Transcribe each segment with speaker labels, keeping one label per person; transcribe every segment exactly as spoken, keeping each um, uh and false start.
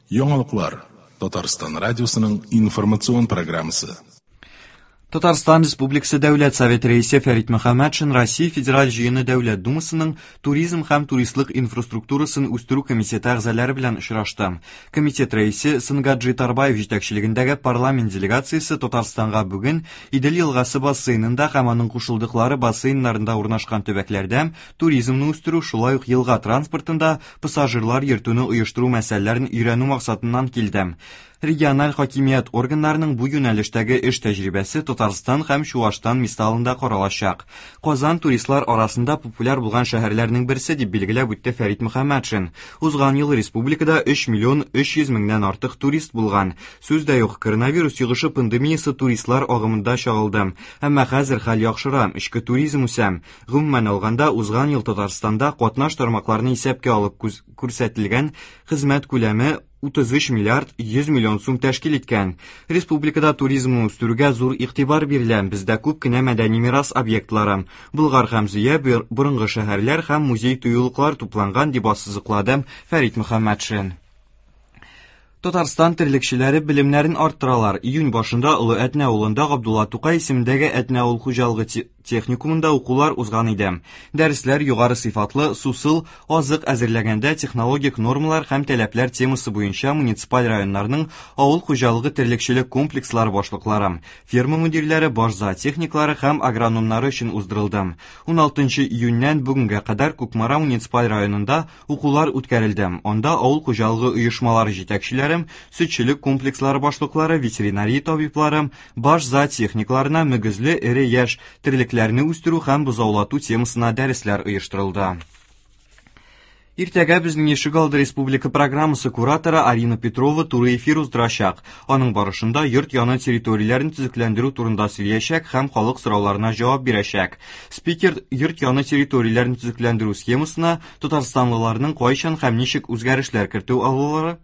Speaker 1: Яңалыклар Татарстан радиосының информацион программасы.
Speaker 2: Татарстан Республикасы Дәүләт Советы рәисе Фәрит Мөхәммәтшин Россия Федераль Җыены Дәүләт Думасының Туризм һәм туристлык инфраструктурасын үстерү комитеты әгъзалары белән очрашты. Комитет рәисе Сынгаджи Тарбаев җитәкчелегендәге парламент делегациясе Татарстанга бүген Идел елгасы бассейнында һәм аның кушылдыклары бассейннарында урнашкан төбәкләрдә туризмны үстерү, шулай ук елга транспортында пассажирлар йөртүне оештыру мәсьәләләрен өйрәнү максатыннан килде. Региональ хакимият органнарының бу юнәлештәге эш тәҗрибәсе Татарстан һәм Чуашстан мисалында каралачак. Казан туристлар арасында популяр булган шәһәрләрнең берсе дип билгеләп үтте Фәрит Мөхәммәтшин. Узган ел республикада өч миллион өч йөз меңнән артык турист булган. Сүз дә юк, коронавирус йогышы пандемиясе туристлар агымында чагылды. Әмма хәзер хәл яхшыра, эчке туризм үсә. Гомумән алганда, узган ел Татарстанда катнаш тармакларны исәпкә алып күрсәтелгән хезмәт күләме утыз өч миллиард йөз миллион сум тәшкил иткән. Республикада туризмны үстерүгә зур игътибар бирелә. Бездә күп кенә мәдәни мирас объектлары, Болгар һәм Зөя, борынгы шәһәрләр һәм музей-тыюлыклар тупланган, дип ассызыклады Фәрит Мөхәммәтшин. Татарстан терлекчеләре белемнәрен арттыралар. Июнь башында Олы Әтнә авылында Габдулла Тукай исемендәге Әтнә авыл хуҗалыгы техникумында укулар узган иде. Дәресләр югары сыйфатлы сусыл азык әзерләгәндә технологик нормалар һәм таләпләр темасы буенча муниципаль районнарның авыл хуҗалыгы терлекчелек комплекслары башлыклары, ферма мөдирләре, баш зоотехниклары һәм агрономнары өчен уздырылды. Уналтынчы июньнән бүгенгә кадәр Кукмара муниципаль районында укулар үткәрелде. Анда авыл хуҗалыгы оешмалары җитәкчеләре, сөтчелек комплекслары башлыклары, ветеринария табиблары, баш зоотехникларына мөгезле эре яшь терлекләрне үстерү һәм бозаулату темасына дәресләр оештырылды. Иртәгә безнең Ишегалды республика программасы кураторы Арина Петрова туры эфир уздырачак. Аның барышында йорт яны территорияләрен төзекләндерү турында сөйләячәк һәм халык сорауларына җавап бирәчәк. Спикер йорт яны территорияләрен төзекләндерү схемасына татарстанлыларның кайчан һәм ничек үзгәрешләр кертү алулары,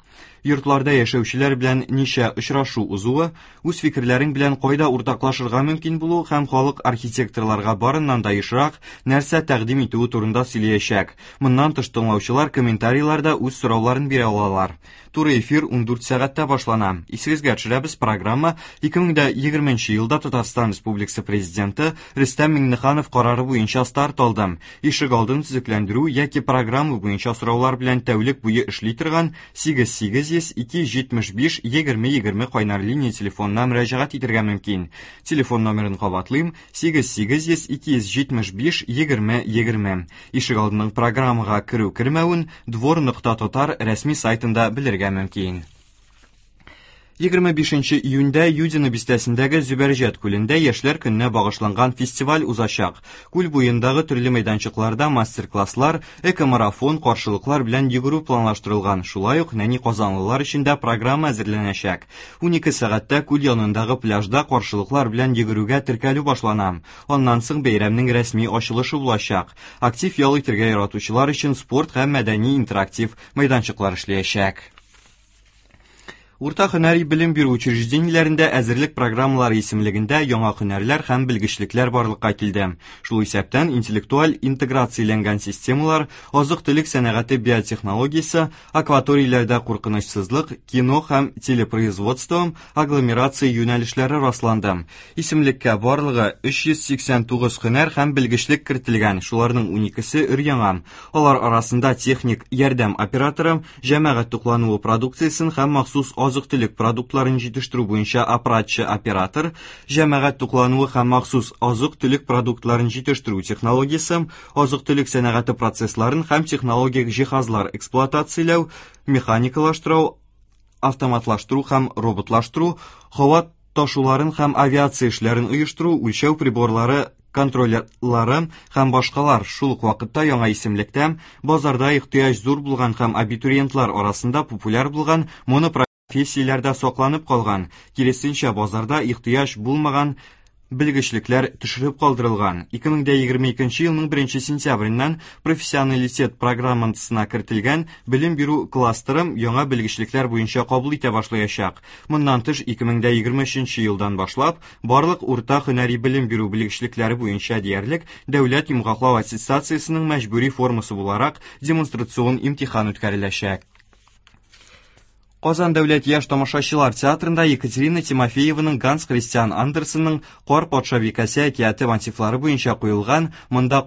Speaker 2: йортларда яшәүчеләр белән ничә очрашу узуы, үз фикерләрең белән кайда уртаклашырга мөмкин булу һәм халык архитекторларга барыннан да ешрак нәрсә тәкъдим итүе турында сөйләячәк. Моннан тыш тыңлаучылар комментарийларда үз сорауларын бирә алалар. Туры эфир ундүрт сәгатьтә башлана. Исегезгә төшерәбез, программа ике мең дә егерменче елда Татарстан Республикасы Президенты Рөстәм Миңнеханов карары буенча старт алды. Ишегалдын төзекләндерү яки программа буенча сораулар белән тәүлек буе эшли торган сигез сигез йөз ике йөз җитмеш биш егерме егерме кайнар линия телефонына мөрәҗәгать итәргә мөмкин. Телефон номерын кабатлыйм: сигез сигез йөз ике йөз җитмеш биш егерме егерме. Ишегалдының программага керү кермәвен двор нокта татар рәсми сайтында белергә мөмкин. Егерме бишенче июньдә Юдино бистәсендәге Зөбәрҗәт күлендә яшьләр көненә багышланган фестиваль узачак. Күл буендагы төрле мәйданчыкларда мастер-класслар, экомарафон, каршылыклар белән йөгерү планлаштырылган. Шулай ук нәни казанлылар өчен дә программа әзерләнәчәк. Унике сәгатьтә күл янындагы пляжда каршылыклар белән йөгерүгә теркәлү башлана. Аннан соң бәйрәмнең рәсми ачылышы булачак. Актив ял итәргә яратучылар өчен спорт һәм мәдәни интерактив мәйданчыклар эшләячәк. Урта һөнәри белем бирү учреждениеләрендә әзерлек программалары исемлегендә яңа һөнәрләр һәм белгечлекләр барлыкка килде. Шул исәптән интеллектуаль интеграцияләнгән системалар, азык-төлек сәнәгате биотехнологиясе, акваторияләрдә куркынычсызлык, кино һәм телепроизводство, агломерация юнәлешләре расланды. Исемлеккә барлыгы өч йөз сиксән тугыз һөнәр һәм белгечлек кертелгән, шуларның уникесе өр-яңа. Алар арасында техник ярдәм операторы, җәмәгать туклануы продукциясен һәм махсус азык-төлек продуктларын җитештерү буенча аппаратчы-оператор, җәмәгать туклануы һәм махсус азык-төлек продуктларын җитештерү технологиясе, азык-төлек сәнәгате процессларын һәм технологик җиһазлар эксплуатацияләү, механикалаштыру, автоматлаштыру һәм роботлаштыру, һава ташуларын һәм авиация эшләрен оештыру, үлчәү приборлары контроллары һәм башкалар. Шул ук вакытта яңа исемлектә базарда ихтыяҗ зур булган һәм абитуриентлар арасында популяр булган монопрофессияләрдә сакланып калган, киресенчә базарда ихтыяҗ булмаган белгечлекләр төшереп калдырылган. Ике мең дә егерме икенче елның беренче сентябреннән профессионалитет программасына кертелгән белем бирү кластеры яңа белгечлекләр буенча кабул итә башлаячак. Моннан тыш ике мең дә егерме өченче елдан башлап барлык урта һөнәри белем бирү белгечлекләре буенча диярлек дәүләт йомгаклау аттестациясенең мәҗбүри формасы буларак демонстрацион имтихан үткәреләчәк. Казан дәүләт яшь тамашачылар театрында Екатерина Тимофееваның Ганс Христиан Андерсенның Кар патшабикәсе әкияте мотивлары буенча куелган «Монда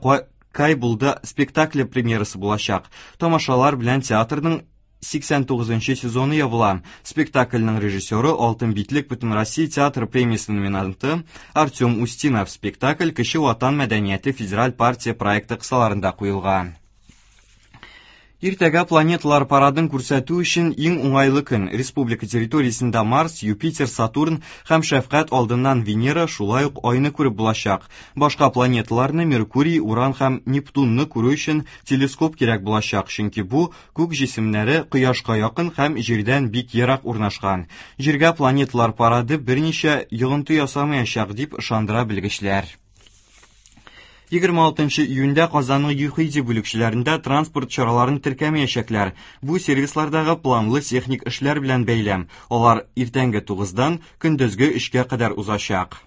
Speaker 2: Кай булды» спектакле премьерасы булачак. Тамашалар белән театрның сиксән тугызынчы сезоны ябыла. Спектакльнең режиссеры Алтын битлек Бөтенроссия театр премиясе номинанты Артем Устинов. Спектакль Кече Ватан мәдәнияте федераль партия проекты кысаларында куелган. Иртәгә планеталар парадын күрсәтү өчен иң уңайлы көн. Республика территориясендә Марс, Юпитер, Сатурн һәм шәфкать алдыннан Венера, шулай ук Айны күреп булачак. Башка планеталарны Меркурий, Уран һәм Нептунны күрү өчен телескоп кирәк булачак, чөнки бу күк җисемнәре Кояшка якын һәм Җирдән бик ерак урнашкан. Җиргә планеталар парады берничә йогынты ясамаячак дип ышандыра белгечләр. Егерме алтынчы июньдә Казанның ЮХИДИ бүлекчәләрендә транспорт чараларын теркәмәячәкләр. Бу сервислардагы планлы техник эшләр белән бәйле. Алар иртәнге тугыздан көндезге өчкә кадәр узачак.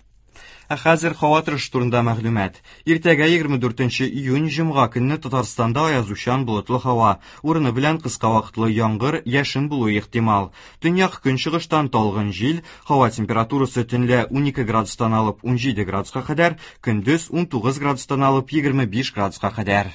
Speaker 2: Ә хәзер һава торышы турында мәгълүмат. Иртәгә егерме дүртенче июнь җомга көнне Татарстанда аязучан болытлы һава, урыны белән кыска вакытлы яңгыр, яшен булуы ихтимал. Төньяк көнчыгыштан талгын җил, һава температурасы төнлә унике градустан алып унҗиде градуска кадәр, көндез унтугыз градустан алып егерме биш градуска кадәр.